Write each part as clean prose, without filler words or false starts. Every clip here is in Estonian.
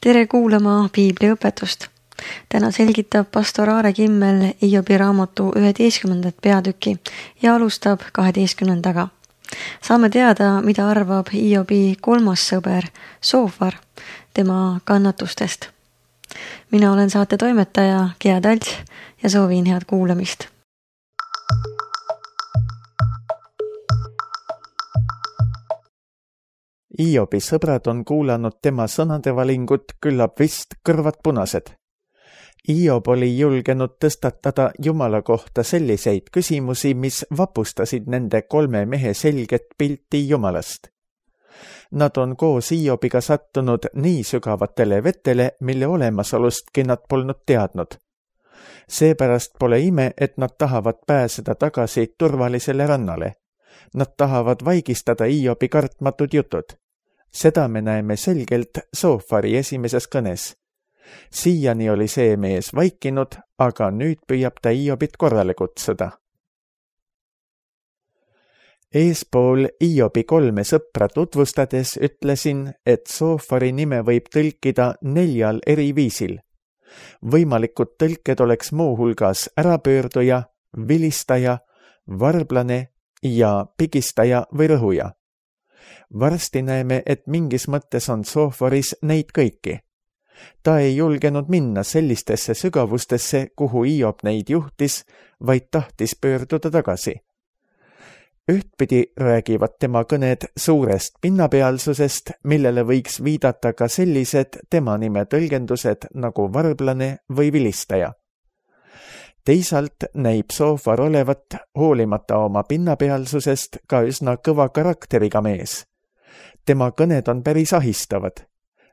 Tere kuulama piibliõpetust. Täna selgitab pastor Aare Kimmel Hiobi raamatu 11. peatüki ja alustab 12. Saame teada, mida arvab Hiobi kolmas sõber Soofar tema kannatustest. Mina olen saate toimetaja Gea Talts ja soovin head kuulamist. Hiobi sõbrad on kuulanud tema sõnade valingut küllap vist kõrvad punased. Hiob oli julgenud tõstatada Jumala kohta selliseid küsimusi, mis vapustasid nende 3 mehe selget pilti Jumalast. Nad on koos Hiobiga sattunud nii sügavatele vetele, mille olemasolustki nad polnud teadnud. Seepärast pole ime, et nad tahavad pääseda tagasi turvalisele rannale. Nad tahavad vaigistada Hiobi kartmatud jutud. Seda me näeme selgelt Soofari esimeses kõnes. Siiani oli see mees vaikinud, aga nüüd püüab ta Hiobit korrale kutsuda. Eespool Hiobi 3 sõpra tutvustades ütlesin, et Soofari nime võib tõlkida 4 eri viisil. Võimalikud tõlked oleks muuhulgas ärapöörduja, vilistaja, varblane ja pigistaja või rõhuja. Varsti näeme, et mingis mõttes on Soofaris neid kõiki. Ta ei julgenud minna sellistesse sügavustesse, kuhu Hiob neid juhtis, vaid tahtis pöörduda tagasi. Ühtpidi räägivad tema kõned suurest pinnapealsusest, millele võiks viidata ka sellised tema nime tõlgendused nagu varblane või vilistaja. Teisalt näib Soofar olevat, hoolimata oma pinnapealsusest, ka üsna kõva karakteriga mees. Tema kõned on päris ahistavad.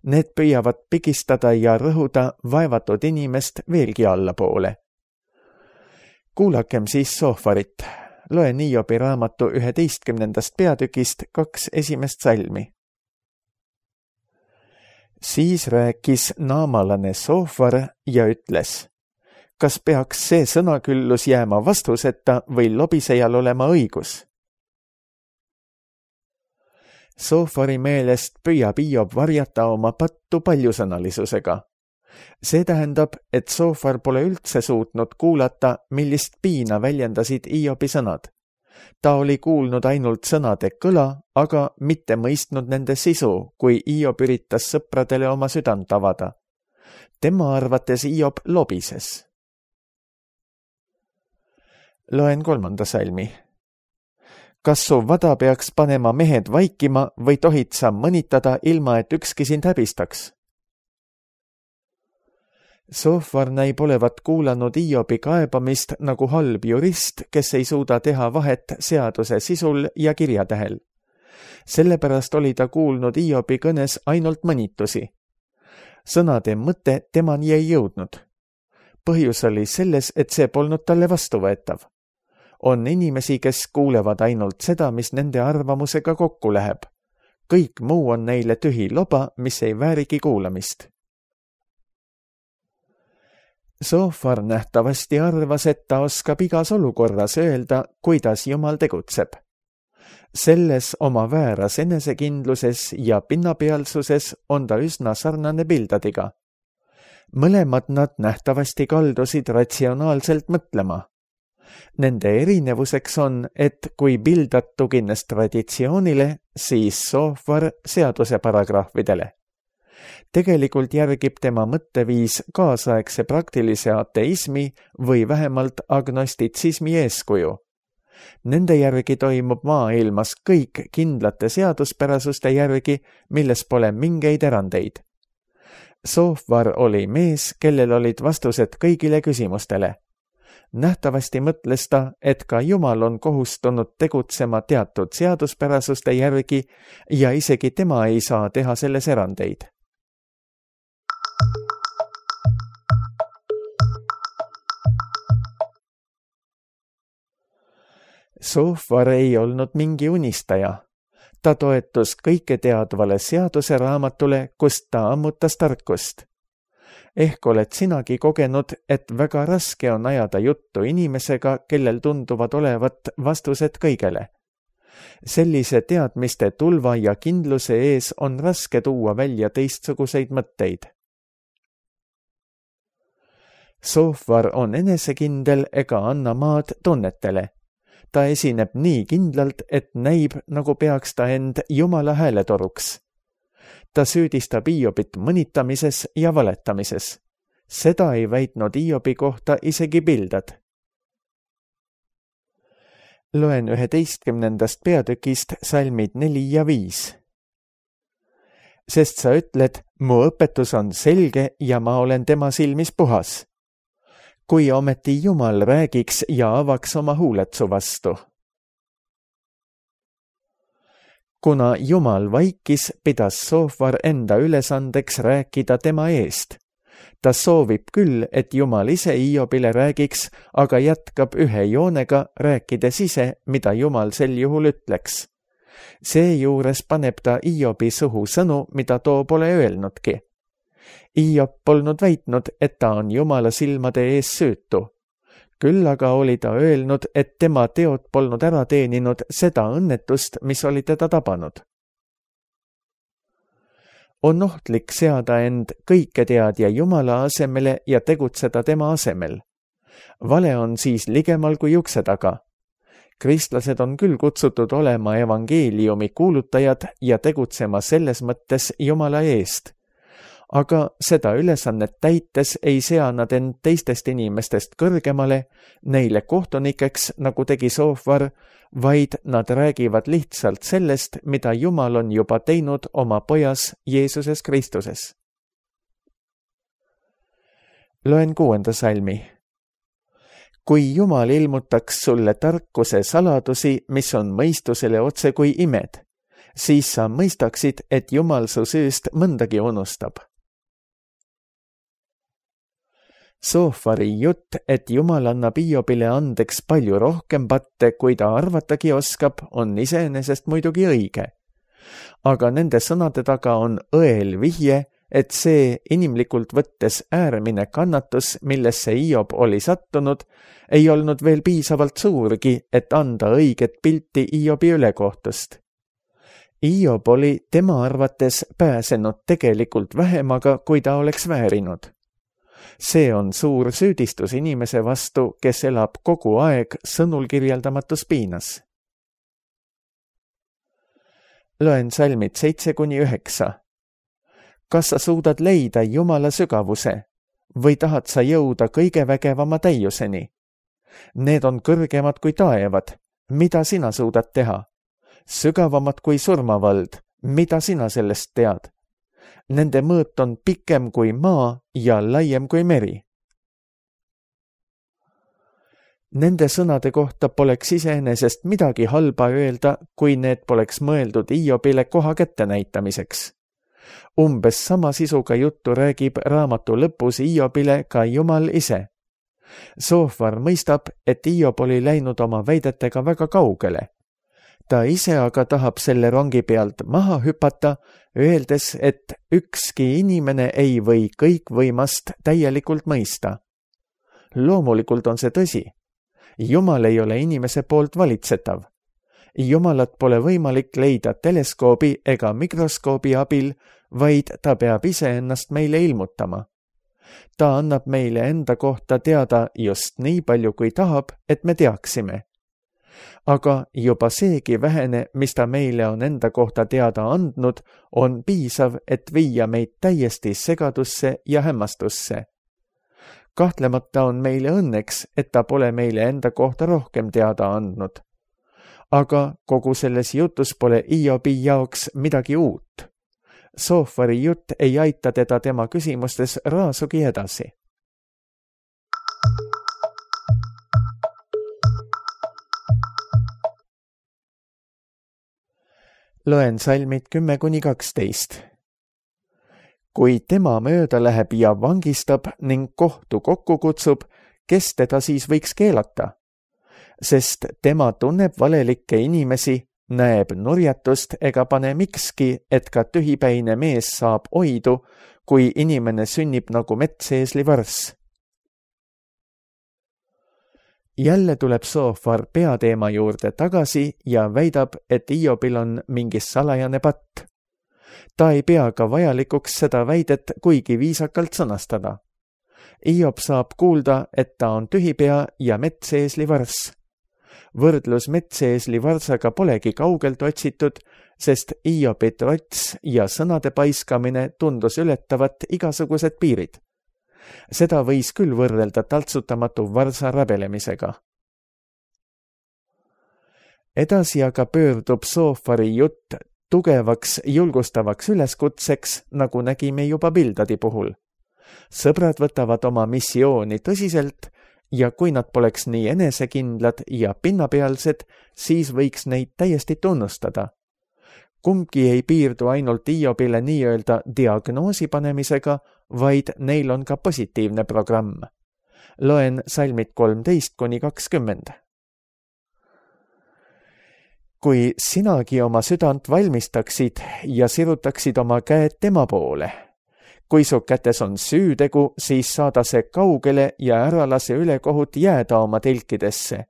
Need püüavad pigistada ja rõhuda vaevatud inimest veelgi allapoole. Kuulakem siis Soofarit. Loen Hiobi raamatu 11. peatükist 2 esimest salmi. Siis rääkis naamalane Soofar ja ütles: kas peaks see sõnaküllus jääma vastuseta või lobisejal olema õigus? Soofari meelest püüab Hiob varjata oma pattu paljusõnalisusega. See tähendab, et Soofar pole üldse suutnud kuulata, millist piina väljendasid Hiobi sõnad. Ta oli kuulnud ainult sõnade kõla, aga mitte mõistnud nende sisu, kui Hiob üritas sõpradele oma südant avada. Tema arvates Hiob lobises. Loen 3. salmi. Kas su vada peaks panema mehed vaikima või tohid sa mõnitada ilma, et ükski sind häbistaks? Soofar näib olevat kuulanud Hiobi kaebamist nagu halb jurist, kes ei suuda teha vahet seaduse sisul ja kirjatähel. Sellepärast oli ta kuulnud Hiobi kõnes ainult mõnitusi. Sõnade mõte temani ei jõudnud. Põhjus oli selles, et see polnud talle vastuvõetav. On inimesi, kes kuulevad ainult seda, mis nende arvamusega kokku läheb. Kõik muu on neile tühi loba, mis ei väärigi kuulamist. Soofar nähtavasti arvas, et ta oskab igas olukorras öelda, kuidas Jumal tegutseb. Selles oma vääras enesekindluses ja pinnapealsuses on ta üsna sarnane Bildadiga. Mõlemad nad nähtavasti kaldusid ratsionaalselt mõtlema. Nende erinevuseks on, et kui Bildad tugines traditsioonile, siis Soofar seaduse paragrahvidele. Tegelikult järgib tema mõtteviis kaasaegse praktilise ateismi või vähemalt agnostitsismi eeskuju. Nende järgi toimub maailmas kõik kindlate seaduspärasuste järgi, milles pole mingeid erandeid. Soofar oli mees, kellel olid vastused kõigile küsimustele. Nähtavasti mõtles ta, et ka Jumal on kohustunud tegutsema teatud seaduspärasuste järgi ja isegi tema ei saa teha selles erandeid. Soofar ei olnud mingi unistaja. Ta toetus kõiketeadvale seaduse raamatule, kust ta ammutas tarkust. Ehk oled sinagi kogenud, et väga raske on ajada juttu inimesega, kellel tunduvad olevat vastused kõigele. Sellise teadmiste tulva ja kindluse ees on raske tuua välja teistsuguseid mõtteid. Soofar on enesekindel ega anna maad tunnetele. Ta esineb nii kindlalt, et näib, nagu peaks ta end Jumala hääletoruks. Ta süüdistab Hiobit mõnitamises ja valetamises. Seda ei väitnud Hiobi kohta isegi Bildad. Loen 11. peatükist salmid 4 ja 5. Sest sa ütled, mu õpetus on selge ja ma olen tema silmis puhas. Kui ometi Jumal räägiks ja avaks oma huuled su vastu. Kuna Jumal vaikis, pidas Soofar enda ülesandeks rääkida tema eest. Ta soovib küll, et Jumal ise Hiobile räägiks, aga jätkab ühe joonega, rääkides ise, mida Jumal sel juhul ütleks. Seejuures paneb ta Hiobi suhu sõnu, mida too pole öelnudki. Hiob polnud väitnud, et ta on Jumala silmade ees süütu. Küll aga oli ta öelnud, et tema teod polnud ära teeninud seda õnnetust, mis oli teda tabanud. On ohtlik seada end kõiketeadja Jumala asemele ja tegutseda tema asemel. Vale on siis ligemal kui ukse taga. Kristlased on küll kutsutud olema evangeeliumi kuulutajad ja tegutsema selles mõttes Jumala eest. Aga seda ülesannet täites ei sea nad end teistest inimestest kõrgemale, neile kohtunikeks, nagu tegi Soofar, vaid nad räägivad lihtsalt sellest, mida Jumal on juba teinud oma pojas Jeesuses Kristuses. Loen 6. salmi. Kui Jumal ilmutaks sulle tarkuse saladusi, mis on mõistusele otse kui imed, siis sa mõistaksid, et Jumal su süüst mõndagi unustab. Soofari jutt, et Jumal annab Hiobile andeks palju rohkem patte, kui ta arvatagi oskab, on iseenesest muidugi õige. Aga nende sõnade taga on õel vihje, et see inimlikult võttes äärmine kannatus, millesse Hiob oli sattunud, ei olnud veel piisavalt suurgi, et anda õiget pilti Hiobi ülekohtust. Hiob oli tema arvates pääsenud tegelikult vähemaga, kui ta oleks väärinud. See on suur süüdistus inimese vastu, kes elab kogu aeg sõnul kirjeldamatus piinas. Loen salmid 7-9. Kas sa suudad leida Jumala sügavuse või tahad sa jõuda kõige vägevama täiuseni? Need on kõrgemad kui taevad. Mida sina suudad teha? Sügavamad kui surmavald. Mida sina sellest tead? Nende mõõt on pikem kui maa ja laiem kui meri. Nende sõnade kohta poleks iseenesest midagi halba öelda, kui need poleks mõeldud Hiobile koha kätte näitamiseks. Umbes sama sisuga juttu räägib raamatu lõpus Hiobile ka Jumal ise. Soofar mõistab, et Hiob oli läinud oma väidetega väga kaugele. Ta ise aga tahab selle rongi pealt maha hüpata, öeldes, et ükski inimene ei või kõikvõimast täielikult mõista. Loomulikult on see tõsi. Jumal ei ole inimese poolt valitsetav. Jumalat pole võimalik leida teleskoobi ega mikroskoobi abil, vaid ta peab iseennast meile ilmutama. Ta annab meile enda kohta teada just nii palju, kui tahab, et me teaksime. Aga juba seegi vähene, mis ta meile on enda kohta teada andnud, on piisav, et viia meid täiesti segadusse ja hämmastusse. Kahtlemata on meile õnneks, et ta pole meile enda kohta rohkem teada andnud. Aga kogu selles jutus pole Hiobi jaoks midagi uut. Soofari jutt ei aita teda tema küsimustes raasugi edasi. Loen salmid 10-12. Kui tema mööda läheb ja vangistab ning kohtu kokku kutsub, kes teda siis võiks keelata? Sest tema tunneb valelikke inimesi, näeb nurjatust ega pane mikski, et ka tühipäine mees saab oidu, kui inimene sünnib nagu metseesli varss. Jälle tuleb Soofar peateema juurde tagasi ja väidab, et Hiobil on mingi salajane patt. Ta ei pea ka vajalikuks seda väidet kuigi viisakalt sõnastada. Hiob saab kuulda, et ta on tühipea ja metseesli varss. Võrdlus metseesli varsaga polegi kaugelt otsitud, sest Hiobi trots ja sõnade paiskamine tundus ületavat igasugused piirid. Seda võis küll võrrelda taltsutamatu varsa rabelemisega. Edasi aga pöördub Soofari jutt tugevaks julgustavaks üleskutseks, nagu nägime juba Bildadi puhul. Sõbrad võtavad oma missiooni tõsiselt ja kui nad poleks nii enesekindlad ja pinnapealsed, siis võiks neid täiesti tunnustada. Kumbki ei piirdu ainult Hiobile nii-öelda diagnoosi panemisega, vaid neil on ka positiivne programm. Loen salmid 13-20. Kui sinagi oma südant valmistaksid ja sirutaksid oma käed tema poole, kui su kätes on süütegu, siis saada see kaugele ja ära lase ülekohut jääda oma telkidesse.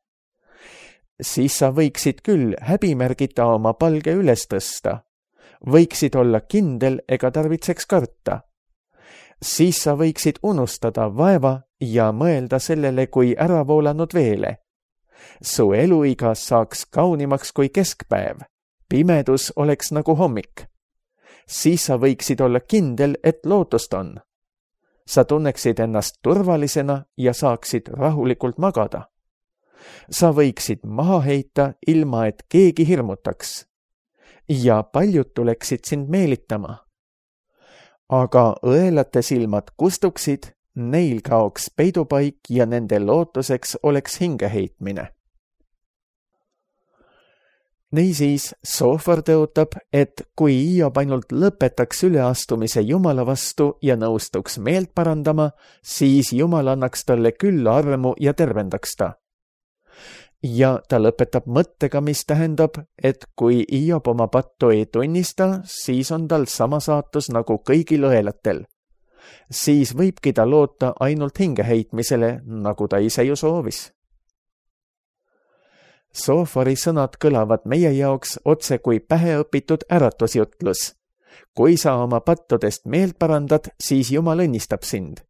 Siis sa võiksid küll häbimärgita oma palge üles tõsta. Võiksid olla kindel ega tarvitseks karta. Siis sa võiksid unustada vaeva ja mõelda sellele kui äravoolanud veele. Su eluiga saaks kaunimaks kui keskpäev. Pimedus oleks nagu hommik. Siis sa võiksid olla kindel, et lootust on. Sa tunneksid ennast turvalisena ja saaksid rahulikult magada. Sa võiksid maha heita, ilma et keegi hirmutaks. Ja paljud tuleksid sind meelitama. Aga õelate silmad kustuksid, neil kaoks peidupaik ja nende lootuseks oleks hingeheitmine. Niisiis, Soofar tõotab, et kui Hiob ainult lõpetaks üleastumise Jumala vastu ja nõustuks meelt parandama, siis Jumal annaks talle küll armu ja tervendaks ta. Ja ta lõpetab mõttega, mis tähendab, et kui Hiob oma pattu ei tunnista, siis on tal sama saatus nagu kõigil õelatel. Siis võibki ta loota ainult hingeheitmisele, nagu ta ise ju soovis. Soofari sõnad kõlavad meie jaoks otse kui päheõpitud äratusjutlus. Kui sa oma pattudest meelt parandad, siis Jumal õnnistab sind.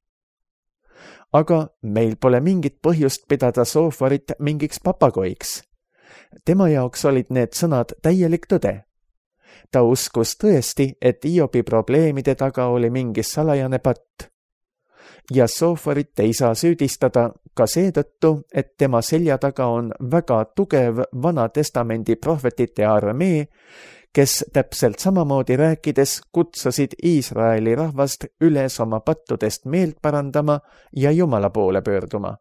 Aga meil pole mingit põhjust pidada Soofarit mingiks papagoiks. Tema jaoks olid need sõnad täielik tõde. Ta uskus tõesti, et Hiobi probleemide taga oli mingi salajane patt. Ja Soofarit ei saa süüdistada ka seetõttu, et tema selja taga on väga tugev Vana Testamendi prohvetite armee, kes täpselt samamoodi rääkides kutsusid Iisraeli rahvast üles oma pattudest meelt parandama ja Jumala poole pöörduma.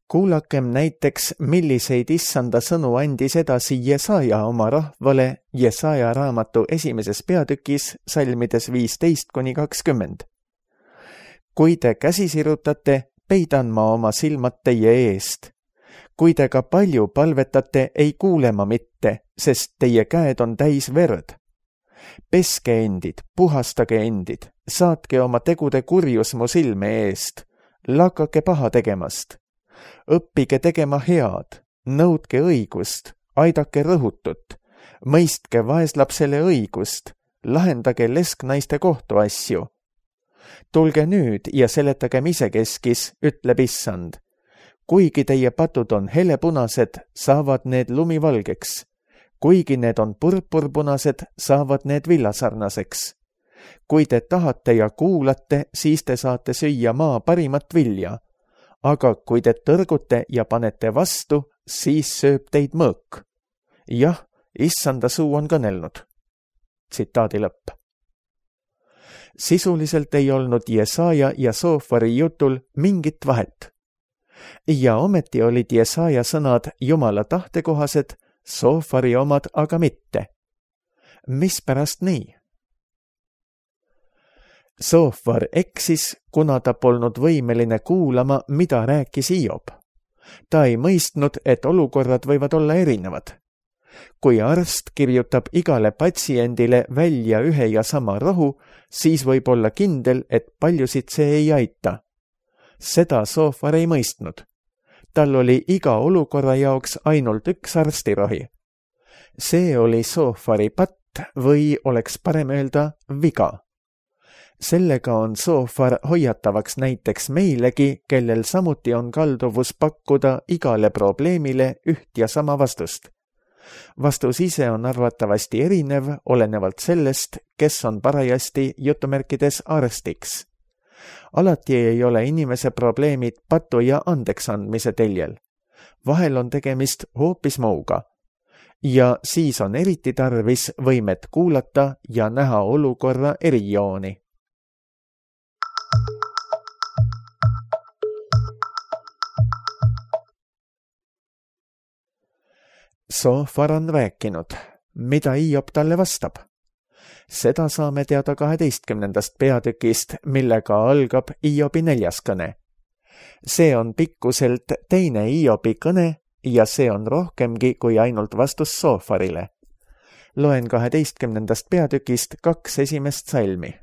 Kuulakem näiteks, milliseid issanda sõnu andis edasi Jesaja oma rahvale Jesaja raamatu 1. peatükis salmides 15-20. Kui te käsi sirutate, peidan ma oma silmad teie eest. Kui te ka palju palvetate, ei kuule ma mitte, sest teie käed on täis verd. Peske endid, puhastage endid, saatke oma tegude kurjus mu silme eest, lakake paha tegemast. Õppige tegema head, nõudke õigust, aidake rõhutut, mõistke vaeslapsele õigust, lahendage lesknaiste kohtuasju. Tulge nüüd ja seletagem isekeskis, ütleb issand. Kuigi teie patud on helepunased, saavad need lumivalgeks. Kuigi need on purpurpunased, saavad need villasarnaseks. Kui te tahate ja kuulate, siis te saate süüa maa parimat vilja. Aga kui te tõrgute ja panete vastu, siis sööb teid mõõk. Jah, issanda suu on kõnelnud. Tsitaadi lõpp. Sisuliselt ei olnud Jesaja ja Soofari jutul mingit vahet. Ja ometi olid Jesaja sõnad Jumala tahtekohased, Soofari omad aga mitte. Mispärast nii? Soofar eksis, kuna ta polnud võimeline kuulama, mida rääkis Hiob. Ta ei mõistnud, et olukorrad võivad olla erinevad. Kui arst kirjutab igale patsiendile välja ühe ja sama rohu, siis võib olla kindel, et paljusid see ei aita. Seda Soofar ei mõistnud. Tal oli iga olukorra jaoks ainult üks arstirohi. See oli Soofari patt või oleks parem öelda viga. Sellega on soofar hoiatavaks näiteks meilegi, kellel samuti on kalduvus pakkuda igale probleemile üht ja sama vastust. Vastus ise on arvatavasti erinev, olenevalt sellest, kes on parajasti jutumärkides arstiks. Alati ei ole inimese probleemid patu ja andeksandmise teljel. Vahel on tegemist hoopis muuga. Ja siis on eriti tarvis võimet kuulata ja näha olukorra erijooni. Soofar on rääkinud, mida Hiob talle vastab. Seda saame teada 12. peatükist, millega algab Hiobi 4. kõne. See on pikkuselt teine Hiobi kõne ja see on rohkemgi kui ainult vastus Soofarile. Loen 12. peatükist 2 esimest salmi.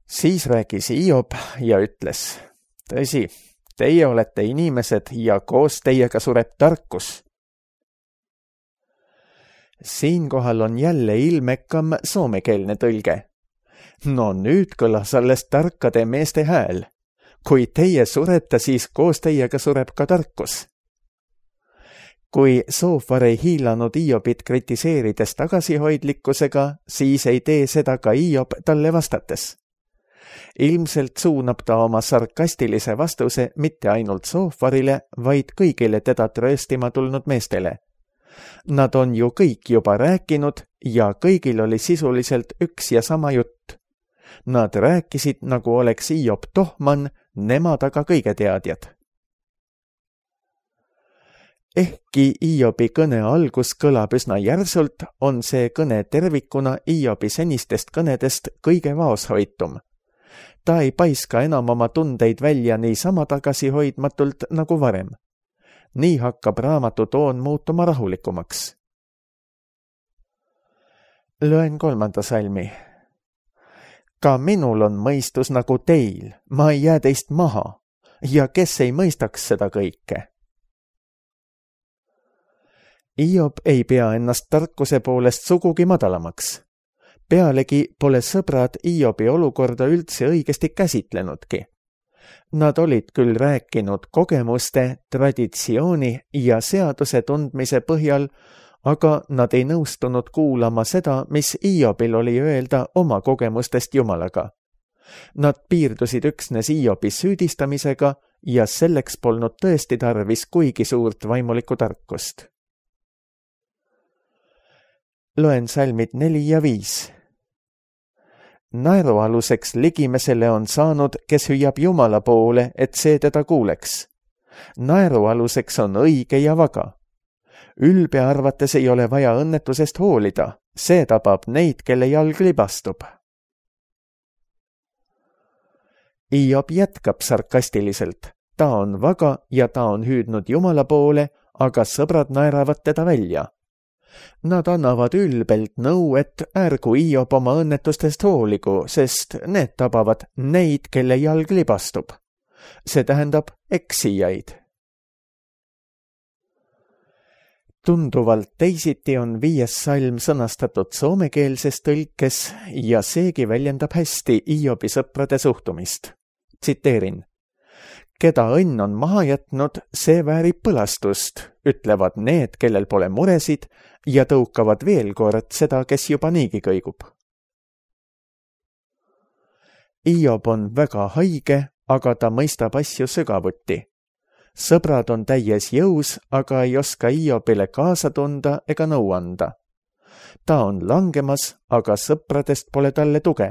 Siis rääkis Hiob ja ütles, tõsi, teie olete inimesed ja koos teiega sureb tarkus. Siinkohal on jälle ilmekam soomekeelne tõlge. No nüüd kõlas alles tarkade meeste hääl. Kui teie surete, siis koos teiega sureb ka tarkus. Kui Soofar ei hiilanud Hiobit kritiseerides tagasihoidlikkusega, siis ei tee seda ka Hiob talle vastates. Ilmselt suunab ta oma sarkastilise vastuse mitte ainult Soofarile, vaid kõigile teda trööstima tulnud meestele. Nad on ju kõik juba rääkinud ja kõigil oli sisuliselt üks ja sama jutt. Nad rääkisid, nagu oleks Hiob tohman, nemad aga kõige teadjad. Ehkki Hiobi kõne algus kõlab üsna järsult, on see kõne tervikuna Hiobi senistest kõnedest kõige vaoshoitum. Ta ei paiska enam oma tundeid välja niisama tagasihoidmatult nagu varem. Nii hakkab raamatu toon muutuma rahulikumaks. Loen 3. salmi. Ka minul on mõistus nagu teil, ma ei jää teist maha, ja kes ei mõistaks seda kõike? Hiob ei pea ennast tarkuse poolest sugugi madalamaks. Pealegi pole sõbrad Hiobi olukorda üldse õigesti käsitlenudki. Nad olid küll rääkinud kogemuste, traditsiooni ja seaduse tundmise põhjal, aga nad ei nõustunud kuulama seda, mis Hiobil oli öelda oma kogemustest Jumalaga. Nad piirdusid üksnes Hiobi süüdistamisega ja selleks polnud tõesti tarvis kuigi suurt vaimulikku tarkust. Loen salmid 4 ja 5. Naerualuseks ligimesele on saanud, kes hüüab Jumala poole, et see teda kuuleks. Naerualuseks on õige ja vaga. Ülbe arvates ei ole vaja õnnetusest hoolida, see tabab neid, kelle jalg libastub. Hiob jätkab sarkastiliselt. Ta on vaga ja ta on hüüdnud Jumala poole, aga sõbrad naeravad teda välja. Nad annavad ülbelt nõu, et ärgu Hiob oma õnnetustest hooligu, sest need tabavad neid, kelle jalg libastub. See tähendab eksijaid. Tunduvalt teisiti on 5. salm sõnastatud soomekeelses tõlkes ja seegi väljendab hästi Hiobi sõprade suhtumist. Tsiteerin. Keda õnn on maha jätnud, see väärib põlastust, ütlevad need, kellel pole muresid ja tõukavad veel kord seda, kes juba niigi kõigub. Hiob on väga haige, aga ta mõistab asju sügavuti. Sõbrad on täies jõus, aga ei oska Hiobile kaasa tunda ega nõu anda. Ta on langemas, aga sõpradest pole talle tuge.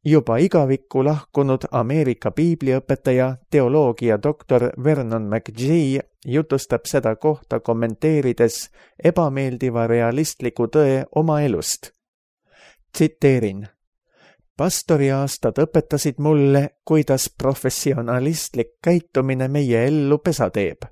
Juba igavikku lahkunud Ameerika piibliõpetaja, teoloogia doktor Vernon McGee jutustab seda kohta kommenteerides ebameeldiva realistliku tõe oma elust. Tsiteerin. Pastoriaastad õpetasid mulle, kuidas professionalistlik käitumine meie ellu pesa teeb.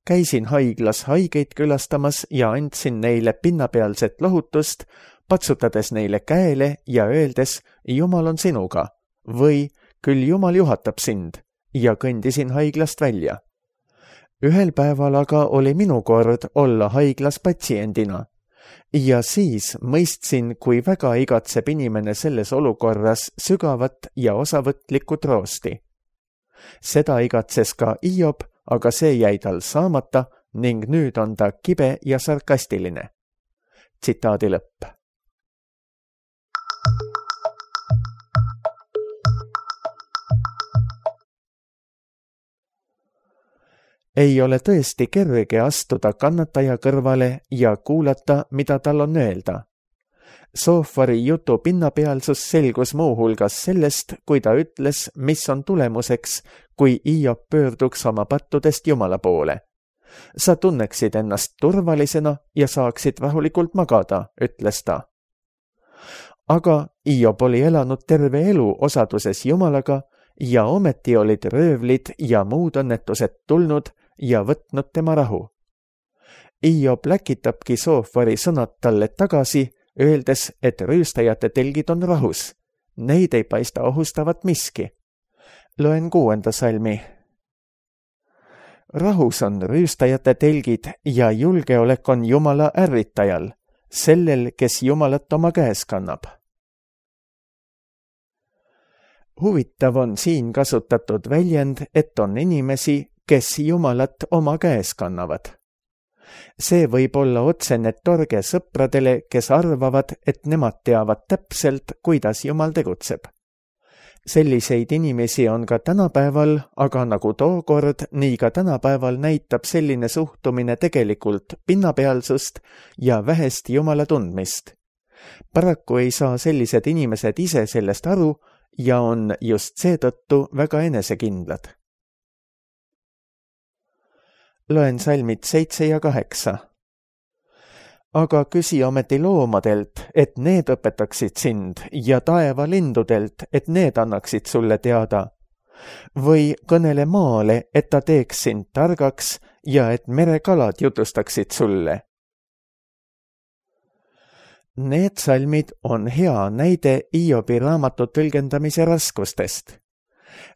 Käisin haiglas haigeid külastamas ja andsin neile pinnapealset lohutust, patsutades neile käele ja öeldes, Jumal on sinuga, või küll Jumal juhatab sind, ja kõndisin haiglast välja. Ühel päeval aga oli minu kord olla haiglas patsiendina Ja siis mõistsin, kui väga igatseb inimene selles olukorras sügavat ja osavõtlikku troosti. Seda igatses ka Hiob, aga see jäi tal saamata ning nüüd on ta kibe ja sarkastiline. Tsitaadi lõpp. Ei ole tõesti kerge astuda kannataja kõrvale ja kuulata, mida tal on öelda. Soofari jutu pinnapealsus selgus muuhulgas sellest, kui ta ütles, mis on tulemuseks, kui Hiob pöörduks oma pattudest Jumala poole. Sa tunneksid ennast turvalisena ja saaksid rahulikult magada, ütles ta. Aga Hiob oli elanud terve elu osaduses Jumalaga ja ometi olid röövlid ja muud õnnetused tulnud ja võtnud tema rahu. Hiob läkitabki Soofari sõnad talle tagasi, öeldes, et rüüstajate telgid on rahus. Neid ei paista ohustavat miski. Loen 6. salmi. Rahus on rüüstajate telgid ja julgeolek on Jumala ärritajal, sellel, kes Jumalat oma käes kannab. Huvitav on siin kasutatud väljend, et on inimesi, kes Jumalat oma käes kannavad. See võib olla otsene torge sõpradele, kes arvavad, et nemad teavad täpselt, kuidas Jumal tegutseb. Selliseid inimesi on ka tänapäeval, aga nagu tookord, nii ka tänapäeval näitab selline suhtumine tegelikult pinnapealsust ja vähest Jumala tundmist. Paraku ei saa sellised inimesed ise sellest aru ja on just seetõttu väga enesekindlad. Loen salmid 7 ja 8. Aga küsi ometi loomadelt, et need õpetaksid sind, ja taeva lindudelt, et need annaksid sulle teada. Või kõnele maale, et ta teeks sind targaks ja et merekalad jutustaksid sulle. Need salmid on hea näide Hiobi raamatu tõlgendamise raskustest.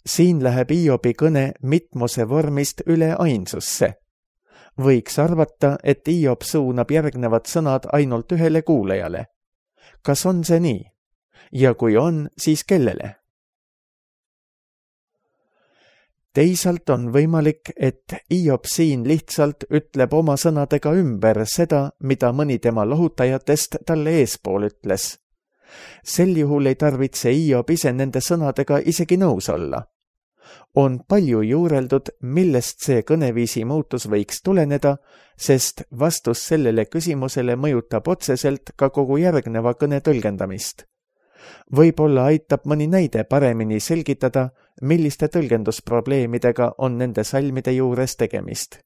Siin läheb Hiobi kõne mitmuse vormist üle ainsusse. Võiks arvata, et Hiob suunab järgnevad sõnad ainult ühele kuulajale. Kas on see nii? Ja kui on, siis kellele? Teisalt on võimalik, et Hiob siin lihtsalt ütleb oma sõnadega ümber seda, mida mõni tema lohutajatest talle eespool ütles. Sel juhul ei tarvitse Hiob ise nende sõnadega isegi nõus olla. On palju juureldud, millest see kõneviisi muutus võiks tuleneda, sest vastus sellele küsimusele mõjutab otseselt ka kogu järgneva kõne tõlgendamist. Võib-olla aitab mõni näide paremini selgitada, milliste tõlgendusprobleemidega on nende salmide juures tegemist.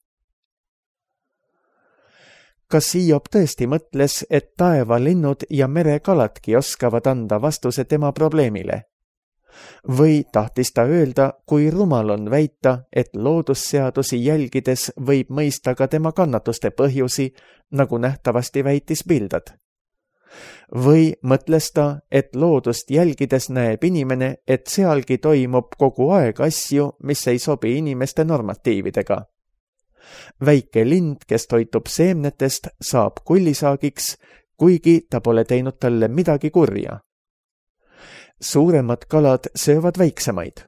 Kas Hiob tõesti mõtles, et taevalinnud ja merekaladki oskavad anda vastuse tema probleemile? Või tahtis ta öelda, kui rumal on väita, et loodusseadusi jälgides võib mõista ka tema kannatuste põhjusi, nagu nähtavasti väitis Bildad? Või mõtles ta, et loodust jälgides näeb inimene, et sealgi toimub kogu aeg asju, mis ei sobi inimeste normatiividega? Väike lind, kes toitub seemnetest, saab kullisaagiks, kuigi ta pole teinud talle midagi kurja. Suuremad kalad söövad väiksemaid.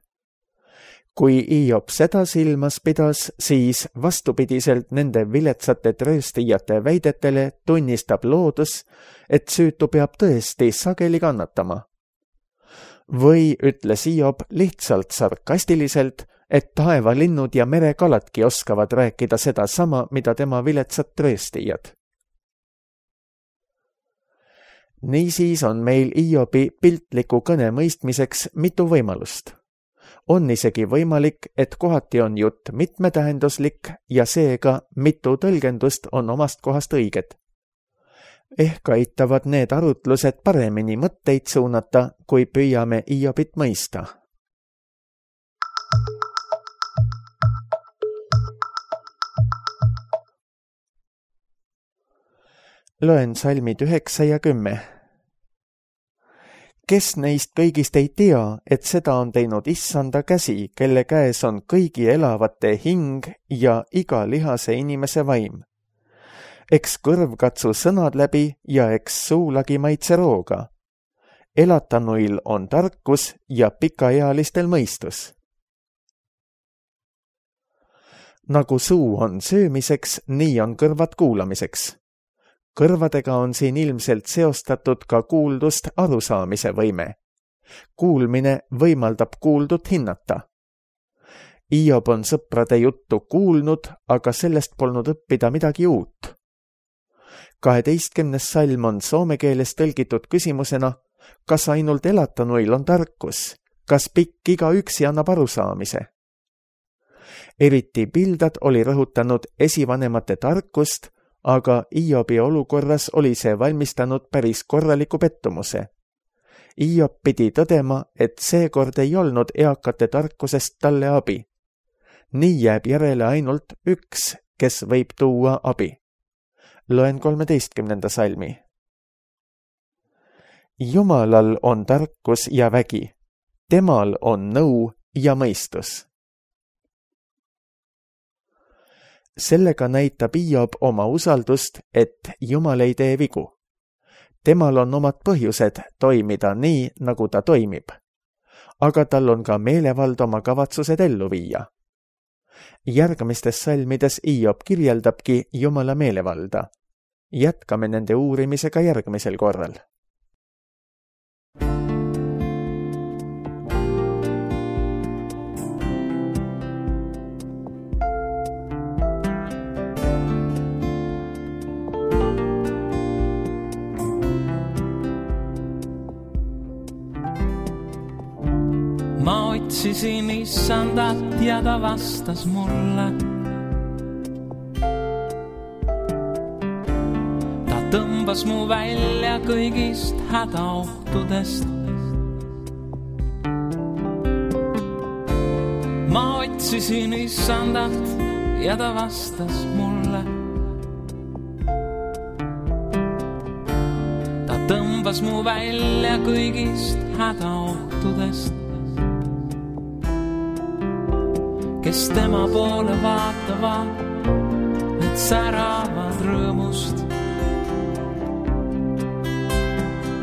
Kui Hiob seda silmas pidas, siis vastupidiselt nende viletsate trööstijate väidetele tunnistab loodus, et süütu peab tõesti sageli kannatama. Või ütles Hiob lihtsalt sarkastiliselt, et taevalinnud ja merekaladki oskavad rääkida seda sama, mida tema viletsad trööstijad. Niisiis on meil Hiobi piltliku kõne mõistmiseks mitu võimalust. On isegi võimalik, et kohati on jutt mitmetähenduslik ja seega mitu tõlgendust on omast kohast õiged. Ehk aitavad need arutlused paremini mõtteid suunata, kui püüame Hiobit mõista. Loen salmid 9 ja 10. Kes neist kõigist ei tea, et seda on teinud Issanda käsi, kelle käes on kõigi elavate hing ja iga lihase inimese vaim? Eks kõrv katsu sõnad läbi ja eks suulagi maitse rooga. Elatanuil on tarkus ja pikaealistel mõistus. Nagu suu on söömiseks, nii on kõrvad kuulamiseks. Kõrvadega on siin ilmselt seostatud ka kuuldust arusaamise võime. Kuulmine võimaldab kuuldut hinnata. Hiob on sõprade juttu kuulnud, aga sellest polnud õppida midagi uut. 12. salm on soome keeles tõlgitud küsimusena, kas ainult elatanuil on tarkus, kas pikk igaüksi annab arusaamise. Eriti Bildad oli rõhutanud esivanemate tarkust, aga Hiobi olukorras oli see valmistanud päris korraliku pettumuse. Hiob pidi tõdema, et seekord ei olnud eakate tarkusest talle abi. Nii jääb järele ainult üks, kes võib tuua abi. Loen 13. salmi. Jumalal on tarkus ja vägi. Temal on nõu ja mõistus. Sellega näitab Hiob oma usaldust, et Jumal ei tee vigu. Temal on omad põhjused toimida nii, nagu ta toimib. Aga tal on ka meelevald oma kavatsused ellu viia. Järgmistes salmides Hiob kirjeldabki Jumala meelevalda. Jätkame nende uurimisega järgmisel korral. Ma otsisin issandat ja ta vastas mulle. Ta tõmbas mu välja kõigist hädaohtudest. Ma otsisin issandat ja ta vastas mulle. Ta tõmbas mu välja kõigist hädaohtudest. Kes tema poole vaatavad, need säravad rõõmust.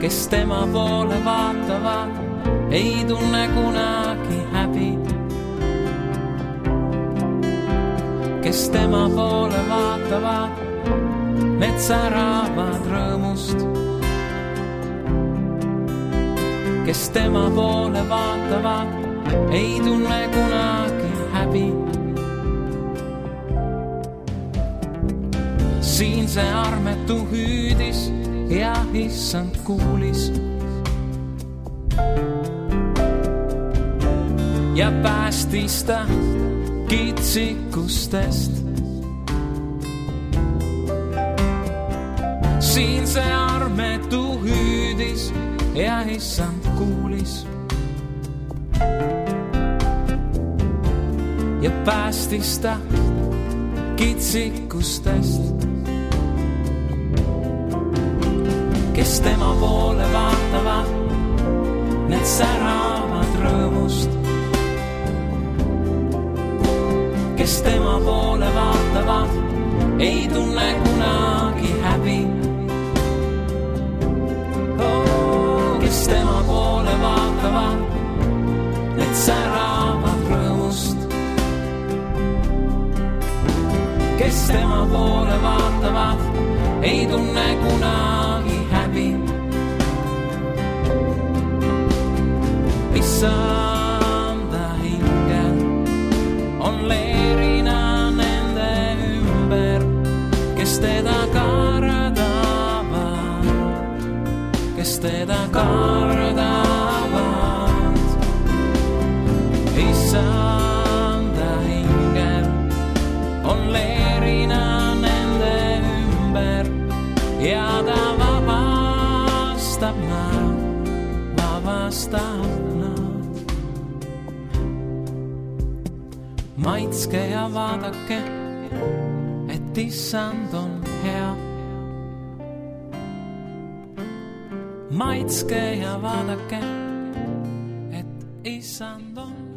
Kes tema poole vaatavad, ei tunne kunagi häbi. Kes tema poole vaatavad, need säravad rõõmust. Kes tema poole vaatavad, ei tunne kunagi häbi. Siin see armetu hüüdis ja issand kuulis. Ja päästis ta kitsikustest. Siin see armetu hüüdis ja issand kuulis. Ja päästis ta kitsikustest. Kes tema poole vaatavad, need säravad rõõmust. Kes tema poole vaatavad, ei tunne kunagi häbi. Kes tema poole vaatavad, need säravad rõõmust. Kes tema poole vaatavad, ei tunne kunagi häbi. Issanda hingel on leerina nende ümber, kes teda kardavad, kes teda kardavad. Issanda hingel on leerina nende ümber ja ta vabastab nad, vabastab nad. Maitske ja vaadake, et issand on hea. Maitske ja vaadake, et issand on